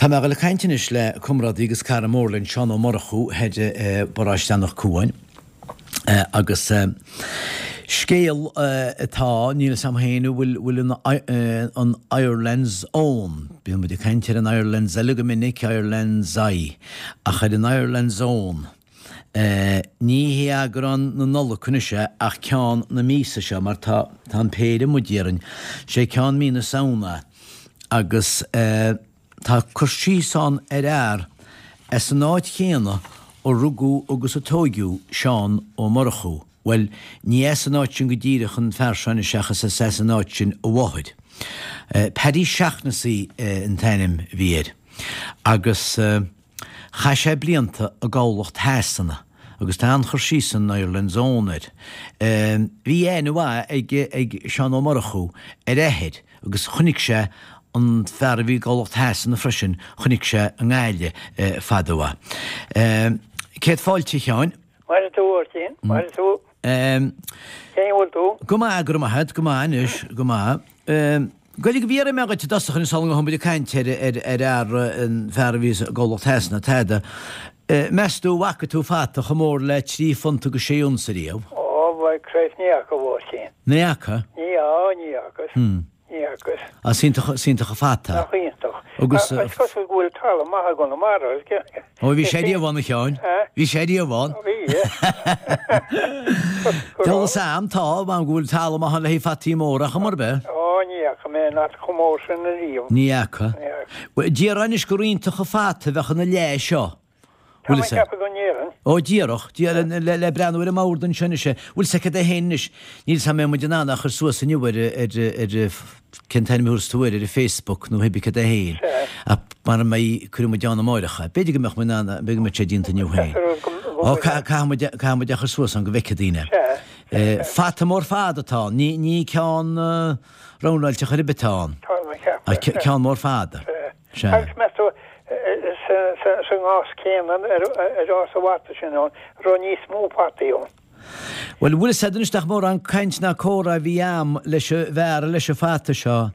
Tá mé ag dul ag caint anois le comrádaí agus cara mór linn, Seán Ó Murchú, thoir i bparóiste Anach Cuain. Agus scéal atá, níl 'fhios a'm féin an bhfuil, bhfuil an Ireland's Own, bíonn muid ag caint ar an Ireland's eile go minic, Ireland's Eye, ach ar an Ireland's Own, ní hé eagrán na Nollag anois é ach ceann na míosa seo mar tá, tá an péire amuigh déarfainn, sé ceann mí na Samhna é agus. Tá cur síos ann ar fhear as an áit chéanna a rugadh agus a tóigeadh Seán Ó Murchú, bhuel, ní as an áit sin go díreach an fear seo anois ach is as an áit sin a mháthair. Paddy Shaughnessy an t-ainm a bhí air agus. Chaith sé blianta i gcabhlach Shasana agus tá an-chur síos san Ireland's Own air. Bhí aithne mhaith ag Seán Ó Murchú ar a athair agus chonaic sé an fear a bhí i gcabhlach Shasana freisin, chonaic sé i nGaillimh fad ó. Céad fáilte, a Sheáin. Maire tú, a Mháirtín, maire tú. Cén chaoi a bhfuil tú? Go maith, go raibh maith agat, go maith anois, go maith. Gaeilge Bhí iarraidh mé dhuit i dtosach anois sula ngabhfaidh muid ag caint ar ar fhear, an fear a bhí i gcabhlach Shasana, tada. Meas tú an bhfaca tú fata chomh mór le trí phunt agus sé unsa riamh? Ó, bhuel, Christ, ní fhaca, a Mháirtín. Ní fhaca? Ní, á, ní fhacas. Ní fhacas. Á, is iontach, is iontach an fata. Nach iontach. Agus. Is cosúil go bhfuil talamh maith i gConamara. Ó, bhí sé riamh ann, a Sheáin. Bhí sé riamh ann. Bhí. Tá am, tá, am go bhfuil talamh maith ann le haghaidh fataí móra, ach mar bith. Ó, ní fhaca mé aon fhata chomh mór sin ariamh. Ní fhaca. Ní fhaca. Déarfá anois gur iontach an fata a bheadh ina leath seo. Tá mé ag ceapadh go ndéarfainn. Ó, díreach. Le breathnú ar an mbord anseo anois é. Bhfuil 's agat é féin anois. Níl 's a'm an mbeidh muid in ann é a chur suas inniu ar, ar, ar, cén t-ainm a thabharfas tú air, ar an Facebook nó pé bith cad é féin. Ach mara mbeidh, cuirfidh muid ann amáireach é. B'fhéidir go mbeadh muid in ann, b'fhéidir go mbeadh sé déanta inniu féin. Ó, caithfidh muid, caithfidh muid é a chur suas ann go bhfeicfidh daoine. Fata mór fada atá ann. Ní, ní ceann roundáilte chor ar bith atá ann. Ach ceann mór fada. Sea. Agus meas tú, sa ngás céanna ar fhás an fhata sin ann, raibh níos mó fataí ann? Bhuel, bhfuil 'fhios a'd anois nach mórán caint ná comhrá a bhí a'm leis an bhfear leis an fata seo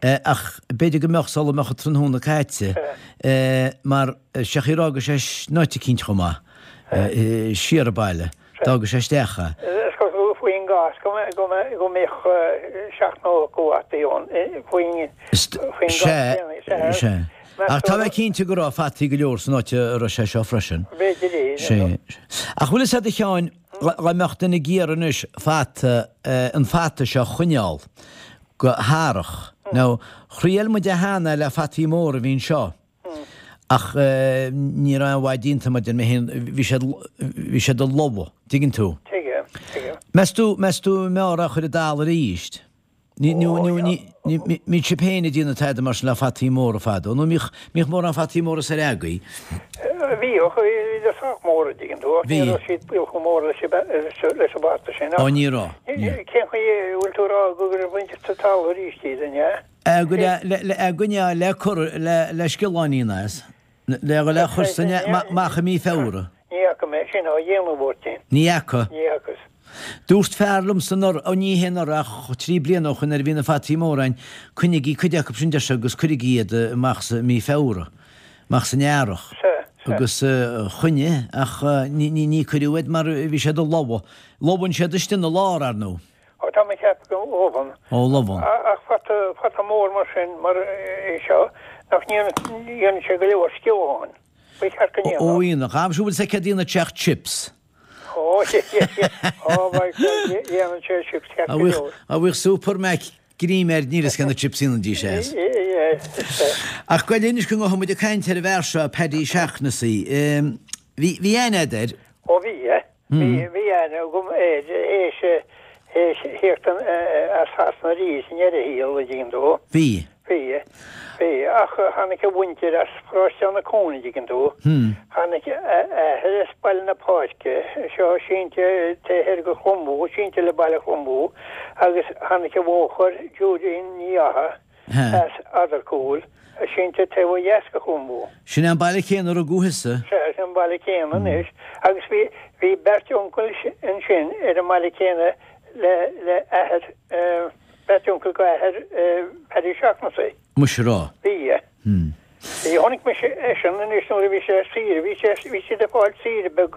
ach b'fhéidir go mbeadh sula mbeadh an tráthnóna caite mar sé chaoi ar fhága sé in áit eicínt chomh maith siar an baile. D'fhága sé isteach é. Is cosúil faoin gcás go mbeadh 70 fataí ann faoin gcás céanna. Sea. Ach tá mé cinnte go raibh fataí go leor san áit a raibh sé seo freisin. B'fhéidir é. Sea. Ach bhfuil 'fhios a'd a Sheáin, dá mbeadh duine ag iarraidh anois fata, an fata seo a choinneáil go hearrach. Now, thriail muid é cheana le fataí móra a bhí anseo. Ach ní raibh aon mhaith déanta mar deir mé féin, bhí siad, bhí siad ag lobhadh, dtuigeann tú? Tuigim, tuigim. Meas tú, meas tú an mb'fhearr é a chur i dtalamh arís? Ní, ní, ní, ní, ní, mbíodh sibh féin ag déanamh tada mar sin le fataí móra fadó, nó mbíodh, mbíodh mórán fataí móra soir agaibh? Bhíodh, bhíodar sách mór, a dtuigeann tú, ach ní raibh siad chomh mór leis leis an bhfata sin. Ó, ní raibh, ní raibh. Cén chaoi a bhfuil tú a rá go gcuirfinn sa talamh arís iad, an ea? A gcoinneáil le cur le sciolláinín as, le le chur san amach i mí Feabhra. Ní fhaca mé sin á dhéanamh, a Mháirtín. Ní fhaca. Ní fhacas. Dúirt fear liomsa anuraidh, ó ní hé anuraidh ach trí bliana ó shoin nuair a bhí na fataí móra ann, coinnigí cuid acu sin deir sé agus cuirigí iad amach sa mí Feabhra, amach san earrach. Sea, sea. Agus choinnigh ach ní cuireadh iad mar bhí siad ag lobhadh. Lobhann siad istigh ina lár, ar ndóigh. Ó tá mé ag ceapadh go lobhann. Ó lobhann. Ach fata, fata mór mar sin, mar é seo, nach ndéanann sé go leor sciolláin? Ba cheart go ndéanfadh. Ó dhéanfadh. Am siúl bhfuil 's aici déanamh teach chips. Ó, ó, dhéanann sé chips ceart go leor. A bhíodh Super Mac greim air níl 'fhios cé na chips dhéanfaidís as. Ach gabh i leith anois go ngabhfaidh muid ag caint ar an bhfear seo, Paddy Shaughnessy. Bhí, bhí aithne a'd air. Ó bhí, Bhí aithne agam air théis theacht as Sasana arís i ndeireadh a shaoil, a dtuigeann tú. Bhí. Bhí. Bhí. Ach tháinig a mhuintir as Paróiste Anach Cuain, a dtuigeann tú. Tháinig a athair as Baile na Páirce, seo sínte taobh thoir de Chluain Mhó, sínte le Baile Chluain Mhó, agus tháinig a mháthair, Judy Ní Fhatha, as Eadarcúil, sínte taobh ó dheas de Chluain Mhó. Sin é an baile céanna a rugadh thusa? Sea, sin an baile céanna anois. Agus bhí, bhí beirt uncail ansin ar an mbaile céanna le, le athair, beirt uncail go athair Paddy Shaughnessy. Muise a rá. Bhí. Hmm. Bhí, chonaic mise eisean anois nuair a bhí sé ar saoire, bhí sé, bhí siad ag fáil saoire beag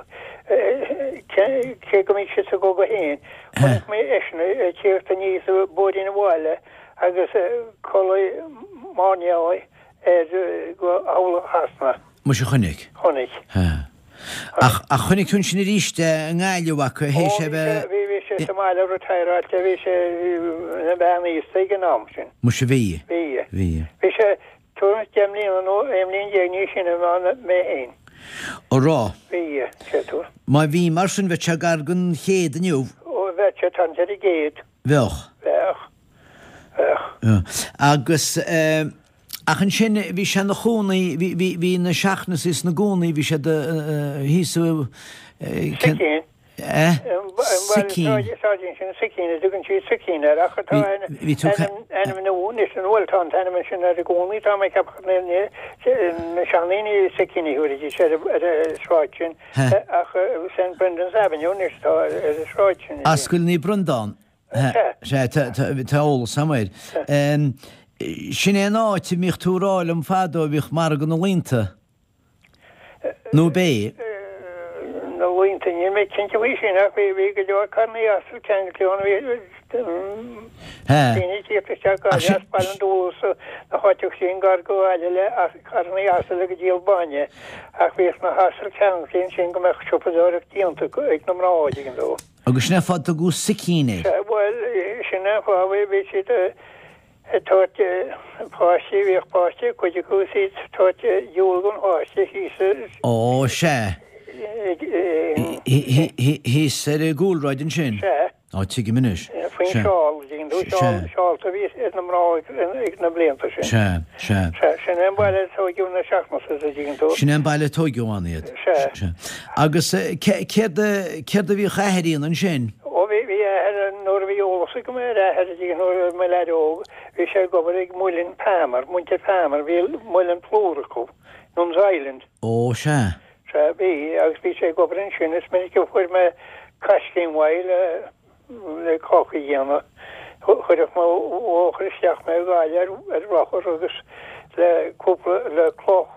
cé go mbíodh siad sa gcogadh féin. Chonaic mé eisean ag tíocht aníos an bóithrín abhaile agus culaith mairnéalaigh air go Chabhlach Shasana. Muise chonaic. Chonaic. Ach, ach chonaic tú ansin arís é i nGaillimh acu théis é bheith. Bhí, bhí sé sa mbaile retireáilte, bhí sé ina bhean aosta ag an am sin. Muise bhí. Bhí. Bhí. Bhí sé tuairim is 10 mbliana nó 11 mbliain níos sine ná mé féin. Ó raibh. Bhí, sé tú. Má bhí mar sin bheadh sé gar don chéad inniu. Ó bheadh sé thart ar an gcéad. Bheadh. Bheadh. Bheadh. Agus eh. Ach ansin bhí sé ina chónaí, bhí, bhí, bhí na Seachnasaigh sna gcónaí, bhí siad thíos i, Sicín. Eh? Sicín. Sráidín sin Sicín, a dtugann siad Sicín air ach tá ainm, ainm nua anois, an bhfuil, tá an t-ainm sin air i gcónaí, tá mé ag ceapadh na, na, na seandaoine Sicín a thabharfaidís ar, ar an sráid sin ach St Brendan's Avenue anois atá ar an sráid sin. Ascaill Naomh Breandán. Sea, tá eolas agam air. Sin é an áit a mbíodh tú ag rá liom fadó a bhíodh margadh na laonta, nó ab é? Na laonta, níl mé cinnte faoi sin ach bhí go leor carrannaí asal ceangailte ann, bhí daoine ag tíocht isteach go Gaillimh as Baile an Dúill is na háiteacha sin gar go Gaillimh le carrannaí asail ag díol bainne ach bhíodh na hasail ceangailte ansin go mbeadh siopadóireacht déanta ag na mná, an dtuigeann tú. Agus sin é an fáth a dtugadh Sicín air. Sea, bhuel, sin é an fáth, bhí, bhí siad ag tabhairt páistí, bhíodh páistí, cuid acu is iad ag tabhairt diabhal don pháiste thíos ar. Ó, sea. Thíos ar an gcúlráid ansin. Sea. Ó, tuigim anois. Faoin seál, dtuigeann tú, seál, seálta a bhí ar na mná ag na blianta sin. Sea, sea. Sea, sin é an baile a tóigeadh na Seachnasaigh, a dtuigeann tú. Sin é an baile a tóigeadh ann iad. Sea. Agus céard a bhíodh a athair a dhéanamh ansin? Ó bhí, bhí a athair, nuair a bhí eolas agam ar a athair, nuair a bhí mé leaid óg, bhí sé ag obair ag Muileann Palmer, muintir Palmer, bhí muileann plúr acu, Nuns Island. Ó, sea. Sea, bhí, agus bhí sé ag obair ansin, is minic a fuair mé caiscín uaidh le, le cáca a dhéanamh. Chuirfeadh mo mháthair isteach mé i Gaillimh ar rothar agus le cúpla, le cloch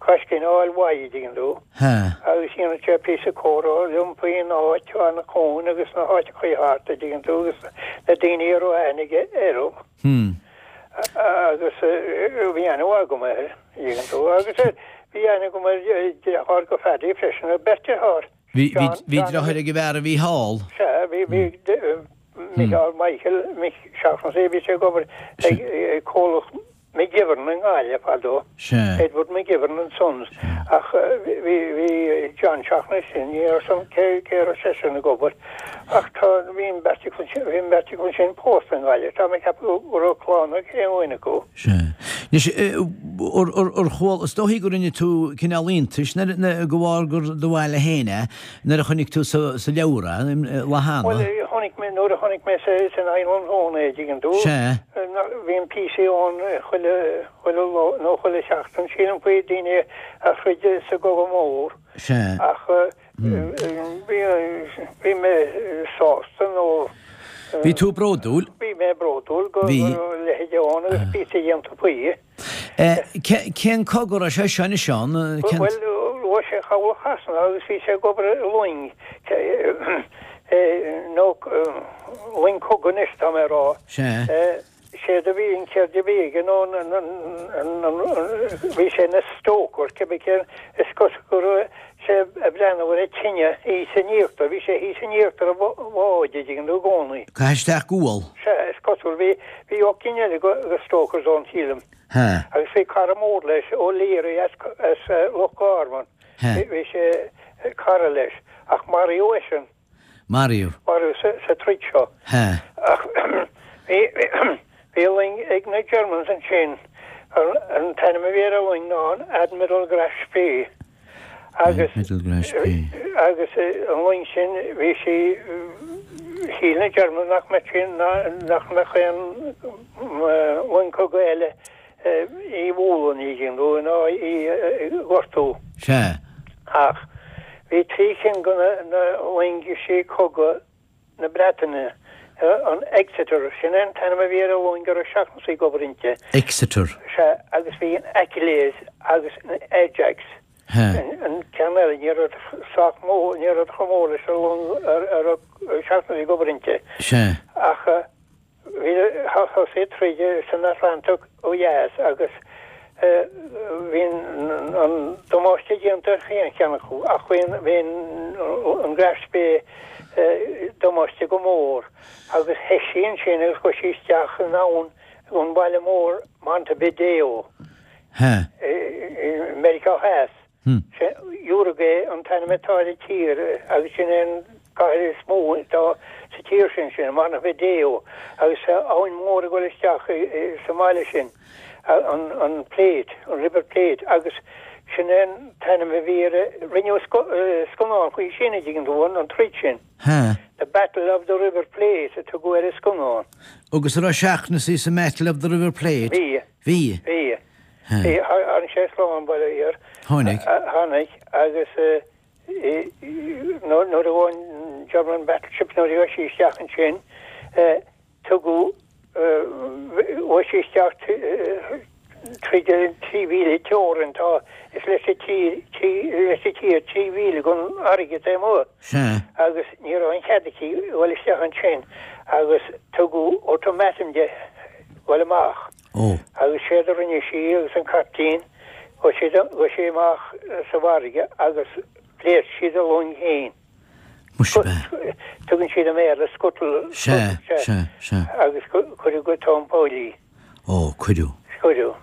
caiscín a fháil uaidh, an dtuigeann tú. Agus dhéanadh sé píosa comhrá liom faoin áit, Anach Cuain agus na háiteachaí thart, an dtuigeann tú, agus na daoine a raibh aithne aige orthu. Agus bhí aithne mhaith agam air, an dtuigeann tú. Agus bhí aithne agam ar dheartháir go Phaddy freisin, beirt deartháir. Bhí deartháir ag an bhfear a bhí thall. Sea, bhí, bhí Micheál, Michael, Mick Shaughnessy, bhí sé ag obair ag comhlacht McGivern i nGaillimh fadó, Edward McGivern and Sons, ach bhí, bhí John Shaughnessy, ní raibh a fhios agam cé, cé raibh seisean ag obair, ach tá, bhí an bheirt acu sin, bhí an bheirt acu sin pósta i nGaillimh, tá mé ag ceapadh go raibh clann ag aon dhuine acu. Sea. Anois, ar chuala, is dóichí go rinne tú cineál iontais nuair, de bharr gur do bhaile féin é, nuair a chonaic tú sa leabhar é, lá cheana. Bhuel, chonaic mé, nuair a chonaic mé san Island Zone é, dtuigeann tú. Sea. Bhíonn píosaí ann chuile, chuile lá, nó chuile sheachtain, sílim, faoi daoine a throid sa gCogadh Mór. Sea. Ach Bhí mé sásta nó. Bhí tú bródúil? Bhí mé bródúil go raibh a leithéid ann agus píosa déanta faoi. Cén cogadh a raibh sé seo anois ann? Bhuel, raibh sé i Chabhlach Shasana agus bhí sé ag obair i loing, nó loing cogaidh anois, tá mé a rá. Sea. Séard a bhí an ceird a bhí aige nó bhí sé ina stoker, cibé cén, is cosúil go raibh sé ag breathnú ar an tine thíos in íochtar, bhí sé thíos in íochtar an bháid, an dtuigeann tú, i gcónaí. Caitheadh isteach gual. Sea, is cosúil, bhí, bhí ocht gcinn eile de stokers ann, sílim. Sea. Agus bhí cara mór leis, O'Leary as, as Loch Garman, bhí sé cara leis, ach maraíodh eisean. Maraíodh. Maraíodh sa troid seo. Sea. Ach bhí, bhí loing ag na Germans ansin, an t-ainm a bhí ar an loing ná an Admiral Graf Spee. Agus, Admiral Graf Spee. Agus an loing sin, bhí sí, shíl na Germans nach mbeadh sí, nach mbeadh aon loing cogaidh eile í a bhualadh, an dtuigeann tú, ná í a ghortú. Sea. Ach bhí trí cinn de na loingísí cogaidh na Breataine. An Exeter, sin é an t-ainm a bhí ar an long a raibh Seachnasaí ag obair inti. Exeter. Sea, agus bhí an Achilles agus an Ajax. An ceann eile, ní raibh sách mór, ní raibh chomh mór leis an long a raibh Seachnasaí ag obair inti. Sea. Ach bhí, thosaigh troid san Atlantach ó dheas agus bhí an damáiste déanta ar chaon cheann acu ach bhí an Graf Spee damáiste go mór agus theith sí ansin agus chuaigh sí isteach in abhainn an bhaile mór Montevideo i Meiriceá Theas. Uruguay an t-ainm atá ar an tír agus sin é an cathair is mó atá sa tír sin, sin Montevideo agus tá abhainn mhór ag dul isteach sa mbaile sin, an Plate, an River Plate agus sin é an t-ainm a bhí ar, rinneadh scannán faoi sin, an dtuigeann tú, an troid sin. The Battle of the River Plate a tugadh ar an scannán. Agus an raibh Seachnasaí sa mBattle of the River Plate? Bhí. Bhí? Bhí. Bhí, tháinig sé slán, bail ó Dhia air. Tháinig. Tháinig agus nuair a bhain an German battleship, nuair a ghabh sí isteach ansin, tugadh, ghabh sí isteach tríd an 3,000 teorainn atá, is leis an tír, leis an tír 3 mhíle den fharraige taobh amuigh. Sea. Agus ní raibh aon chead aici dhul isteach ansin agus tugadh ultimatum di dhul amach. Ó. Agus séard a rinne sí agus an caiptín, ghabh siad, ghabh sí amach sa bhfarraige agus phléasc siad a long féin. Muise b'ea. Tugann siad i mBéarla scuttle, Sea, sea, sea. Agus cuireadh go tóin poill í. Ó, cuireadh. Cuireadh.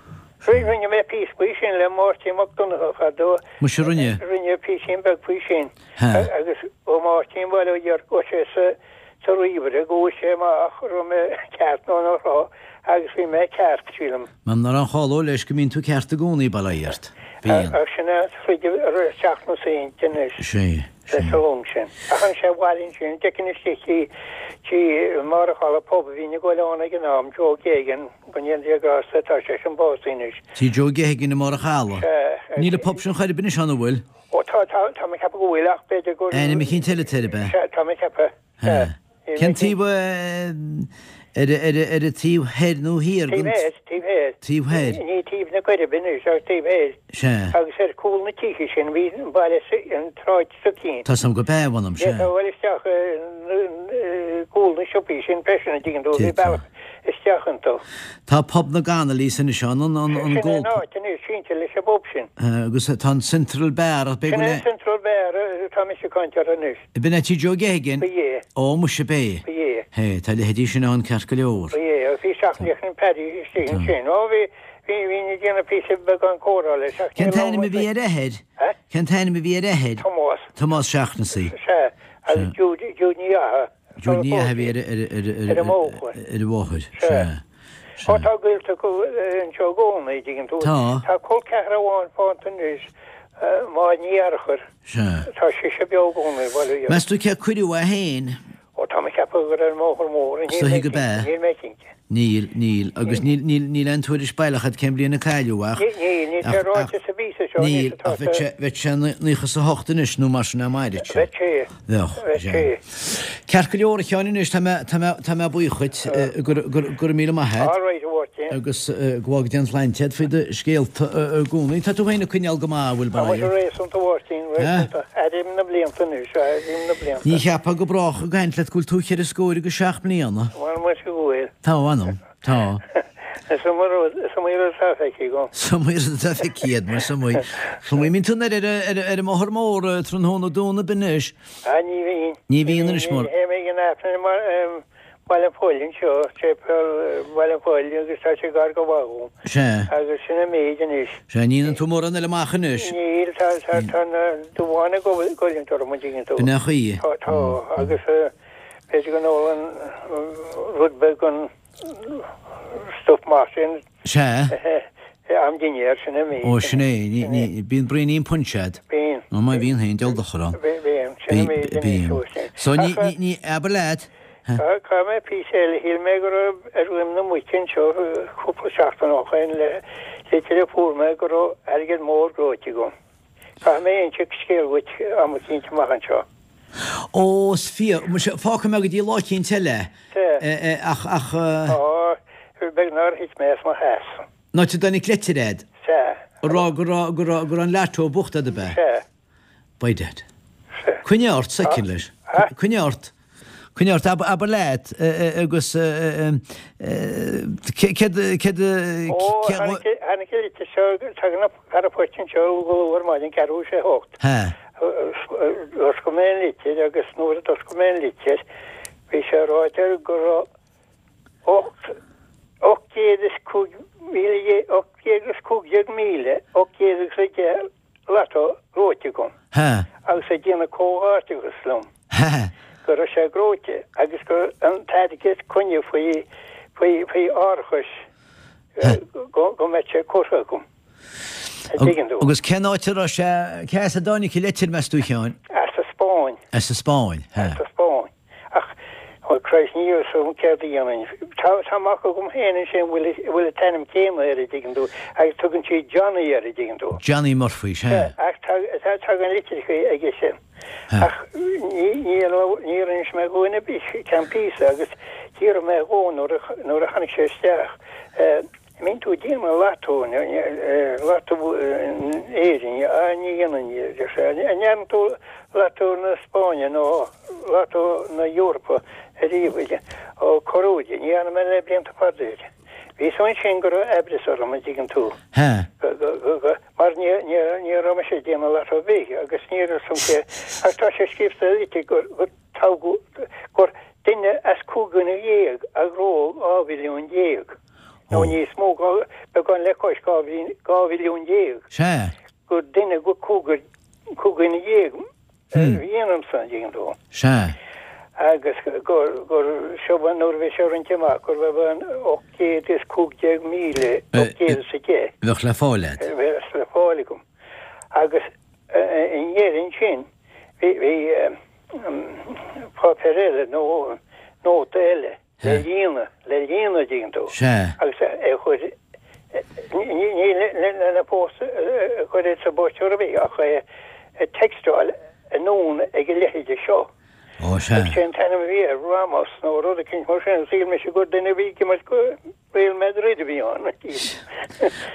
Rinne mé píosa faoi sin le Máirtín Mac Donncha fadó. Muise rinne? Rinne píosín beag faoi sin. Agus ó Máirtín bail ó Dhia air, go raibh sé sa, sa ríomhaire, go bhfuair sé amach an raibh mé ceart nó nach raibh agus bhí mé ceart, sílim. Mar nach raibh an cháil leis go mbíonn tú ceart i gcónaí, bail ó Dhia ort. Bíonn. Ach sin é an troid a raibh Seachnasaí inti anois. Sea, sea. Sa long sin. Ach tháinig sé abhaile ansin, d'fheicfinn istigh tí, tí Máire Challa pub a bhínn ag goil ann ag an am, Joe Geoghegan, go ndéana Dia grásta, tá seisean básaithe anois. Tí Joe Geoghegan i mBarr a' Chalaidh. Sea. Níl an pub sin chor ar bith anois ann, an bhfuil? Ó tá, tá, tá mé ag ceapadh go bhfuil ach b'fhéidir gur. Ainm eicínt eile atá air, ab ea? Sea, tá mé ag ceapadh. Sea. Cén taobh ar, ar, ar an taobh thoir nó thiar den. Taobh thoir, taobh thoir. Taobh thoir. Ní taobh na Coiribe anois ach taobh thoir. Sea. Agus ar chúl na tithe sin bhí an baile, an tsráid s'againn. Tá 's a'm go b'ea, mh'anam, sea. D'fhéadfá a dhul isteach cúl na siopaí sin freisin, an dtuigeann tú, bhí bealach isteach iontu. Tá pub na gConnolly's anois ann, an, an, an Sin é an áit anois, sínte leis an bpub sin. Agus tá an Central Bar, ach b'fhéidir go Sin é an Central Bar atá mise ag caint air anois. B'in é tí Joe Geoghegan? Ba é. Ó, muise, b'é. Ba é. Hé, tá leithéidí sin ann ceart go leor. Ba é, agus bhí Seachnaíocht an Paddy istigh ansin. Ó, bhí, bhí, bhínn ag déanamh píosa beagán comhrá leis ach Cén t-ainm a bhí ar a athair? Eh? Cén t-ainm a bhí ar a athair? Tomás. Tomás Seachnasaí. Sea, agus Jude, Jude Ní Fhatha. Jude Ní Fhatha a bhí ar, ar, ar, ar, ar a mháthair. Ar a mháthair, sea. Sea. Ó, tá gaolta acu anseo i gcónaí, dtuigeann tú. Tá. Tá col ceathrar amháin fanta anois, Máire Ní Fhearchair. Sea. Tá sise beo i gcónaí, bail ó Dhia. Meas tú cé a cuireadh é féin? Ó, tá mé ag ceapadh gur ar an mBóthar Mór. Is dóichí go b'ea. Níl mé cinnte. Níl, níl. Agus níl, níl, níl aon tuairisc baileach agat cén bhliain a cailleadh ach. Níl, níl, níl sé ráite sa bpíosa seo Níl, ach bheadh sé, bheadh sé 98 anois nó mar sin a mairfeadh sé. Bheadh sé. Bheadh, Bheadh sé. Ceart go leor a Sheáin anois, tá mé, tá mé, tá mé buíoch dhuit, go, go, go raibh míle maith agat. All right, a Mháirtín. Agus go bhfága Dia an tsláinte agat faoi do scéalta i gcónaí. Tá tú féin ag coinneáil go maith, an bhfuil, Tá muid réasúnta, a Mháirtín, réasúnta. Airím na blianta anois, airím na blianta. Ní cheapfá go brách ag caint leat go bhfuil tú cheithre scór agus seacht mbliana. Bhuel, muise go bhfuil. Tá, a mh'anam. Tá. Is iomaí rud, is iomaí rud atá feicthe agam. Is iomaí rud atá feicthe agat, mar is iomaí. Is iomaí. Mbíonn tú anoir ar, ar, ar an mbóthar mór tráthnóna Domhnaigh anois? Ah, ní bhíonn. Ní bhíonn anois, mar. Ní théim ag an Aifreann i mBaile an Phoill anseo, séipéal Bhaile an Phoill agus tá sé gar go maith dhom. Sea. Agus sin an méid anois. Sea, ní fhanann tú mórán eile amach anois. Níl, tá, tá, tá na dubháin ag goilliúint orm, an dtuigeann tú. B'in é an chaoi. Tá, tá, agus b'fhéidir go n-ólann rud beag den stuif maith sin. Sea. Am dinnéir, sin an méid. Ó, sin é, ní, ní, bíonn braoinín punch agat. Bíonn. Ó, má bhíonn féin, diabhal dochar ann. Bíonn, sin an méid anois. Bíonn. So, ní, ní, ní, abair leat. Caithfidh mé píosa eile, shíl mé go raibh ar dhroim na muice anseo cúpla seachtain ó shoin le litir a fuair mé go raibh airgead mór gnóite agam. Caithfidh mé inse scéal dhuit am eicínt amach anseo. Ó, is fíor. Muise, fágfaidh mé go dtí lá eicínt eile é, ach, ach. Ó, beag nár thit mé as mo sheasamh. An áit a dtáinig leitir a'd. Sea. A rá go raibh, go raibh, go raibh an lotto buachta a'd, ab ea? Sea. By dad. Sea. Coinnigh ort soicind leis. Coinnigh ort. Coinnigh ort, abair leat agus céard, céard, Ó, tháinig, tháinig an litir seo, tagann an fear poist anseo go luath ar maidin, ceathrú théis a hocht. Sea. D'oscail mé an litir agus nuair a d'oscail mé an litir bhí sé ráite go raibh 815,810 lotto gnóite agam agus ag déanamh comhghairdeachas liom go raibh sé gnóite agus go an t-airgead coinne faoi faoi árachas go mbeadh sé curtha agam. An dtuigeann tú? Agus cén áit a raibh sé, cé as a dtáinig an leitir, meas tú, a Sheáin? As an Spáinn. As an Spáinn, he. As an Spáinn. Ach, oh Christ, níl fhios agam céard a dhéanfainn. Tá, tá mac agam féin ansin a bhfuil, a bhfuil an t-ainm céanna air, an dtuigeann tú, agus tugann siad Johnny air, an dtuigeann tú. Johnny Murphy, sea. Sea, ach tá, tá, tagann litreacha aige sin. Ach ní, níor, níor inis mé do dhuine ar bith ceann píosa agus d'fhiafraigh mé dhó nuair a, nuair a tháinig sé isteach, eh, An mbíonn tú ag déanamh lotto, lotto in Éirinn, á ní dhéanann, a deir sé. An ndearna tú lotto na Spáinne nó lotto na Eorpa ariamh? Ó, corruair, ní dhearna mé le blianta fada. Bhí fhios ansin go raibh aimhreas orm, an dtuigeann tú. Mar ní raibh mise ag déanamh lotto ar bith agus ní raibh fhios agam cé, ach tá sé scríofa sa litir gur toghadh, gur duine as 15 dhuine a ghnóthaigh 12 mhilliún. Nó níos mó, beagán le cois 12 mhilliún. Sea. Gur duine go cúigear, 15 dhuine a bhí ionamsa, an dtuigeann tú. Sea. Agus gur, gur, seo nuair a bhí sé roinnte amach, go raibh an 815,810. Bheadh le fáil agat. Bheadh le fáil agam. Agus i ndeireadh ansin, bhí, bhí páipéar eile nó nóta eile. Le líonadh, le líonadh, an dtuigeann tú. Sea. Agus é a chur, ní lena phost a chur ar sa bpost ar bith ach é a textáil anonn ag a leithide seo. Ó, sea. Agus sé an t-ainm a bhí air, Ramos nó rud eicínt mar sin. Shíl mise gur duine a bhí ag imirt go Real Madrid a bhí ann.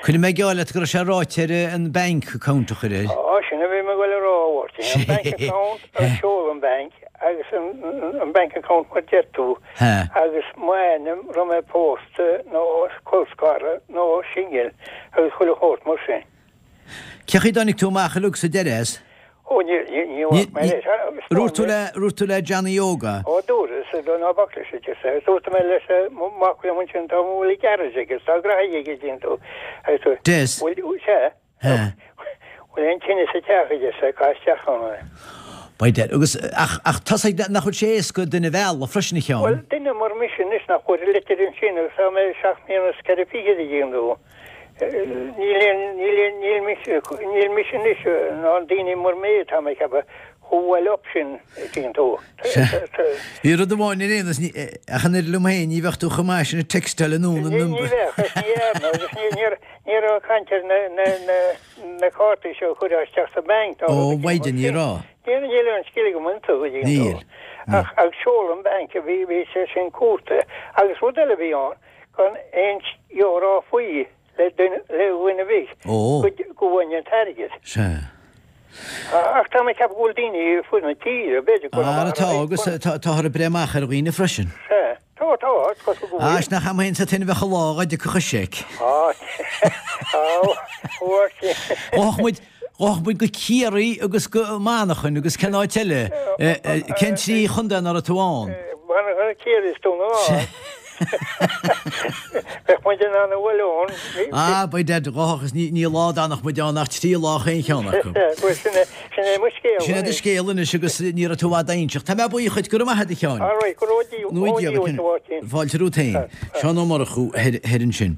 Cuirfidh mé geall leat go raibh sé ráite air an bank account a chur air. Á, sin a bhí mé ag goil a rá, a Mháirtín. An bank account, an seoladh an bhainc agus an bank account mar deir tú. Agus m'ainm, raibh mé pósta nó colscartha nó singil agus chuile shórt mar sin. Cé chaoi a dtáinig tú amach uilig sa deireadh as? Ó, ní, ní, ní bhfaca mé leis. Dúirt tú le, dúirt tú le Johnny Óg é? Ó, dúras, ná bac leis, a deir sé. Dúirt mé leis, mac liom ansin, tá bhfuil garage aige, tá graithí aige, dtuigeann tú. Agus dúirt, Des. Bhfuil, sea. He. Bhfuil aon tine sa teach, a deir sé, caith isteach ann é. By dad. Agus, ach, ach tosaigh, nach bhfuil sé éasca duine a mhealladh freisin, a Sheáin? Bhuel, duine mar mise anois nach bhfuair an litir ansin agus tá mé seacht mbliana is ceithre fichid a dtuigeann tú. Níl aon, níl aon, níl mise, níl mise anois ná daoine mar mé, tá mé ag ceapadh, chomh well up sin, a dtuigeann tú. Bhí rud amháin ar aon nós, ach an oiread liom féin, ní bheadh tú chomh maith sin ag textáil anonn an number. Ní bheadh, agus ní dhearna, agus ní, ní raibh caint ar na, na, na, na cártaí seo a chuirfeá isteach sa bhank nó Ó, mhaighdean, ní raibh. Níl, níl aon scil agam iontu, a dtuigeann tú. Níl, níl. Ach, agus seoladh an bhank, bhí, bhí sé sin cúrta. Agus rud eile a bhí ann, gan aon rá faoi. le duine, le dhuine ar bith Ó. go, go bhfaighinn an t-airgead. Sea. Ach tá mé ag ceapadh go bhfuil daoine ar fud na tíre, b'fhéidir go Ara tá, agus tá, táthar ag breith amach ar dhaoine freisin. Sea. Tá, tá, is cosúil go bhfuil. Is nach a'm féin sa tine bheadh a lá dhá dtiocfadh an seic. Á, á, Mháirtín. Ghabhfadh muid, ghabhfadh muid go Ciarraí agus go Manchain agus cén áit eile, cén trí chontae ná raibh tú ann? Manchain, Ciarraí is Dún na nGall. Bheadh muid in ann a bhualadh ann. Ah, by dad, ghabhfadh is ní lá d'fhanfadh muid ann ach trí lá chaon cheann acu. Bhuel, sin é, sin é mo scéal Sin é do scéal anois agus ní raibh tú i bhfad á inseacht. Tá mé buíoch dhuit, go raibh maith agat a Sheáin. All right, go raibh Dia, ó Dia dhuit, a Mháirtín. Fáilte romhat féin. Seán Ó Murchú thoir ansin.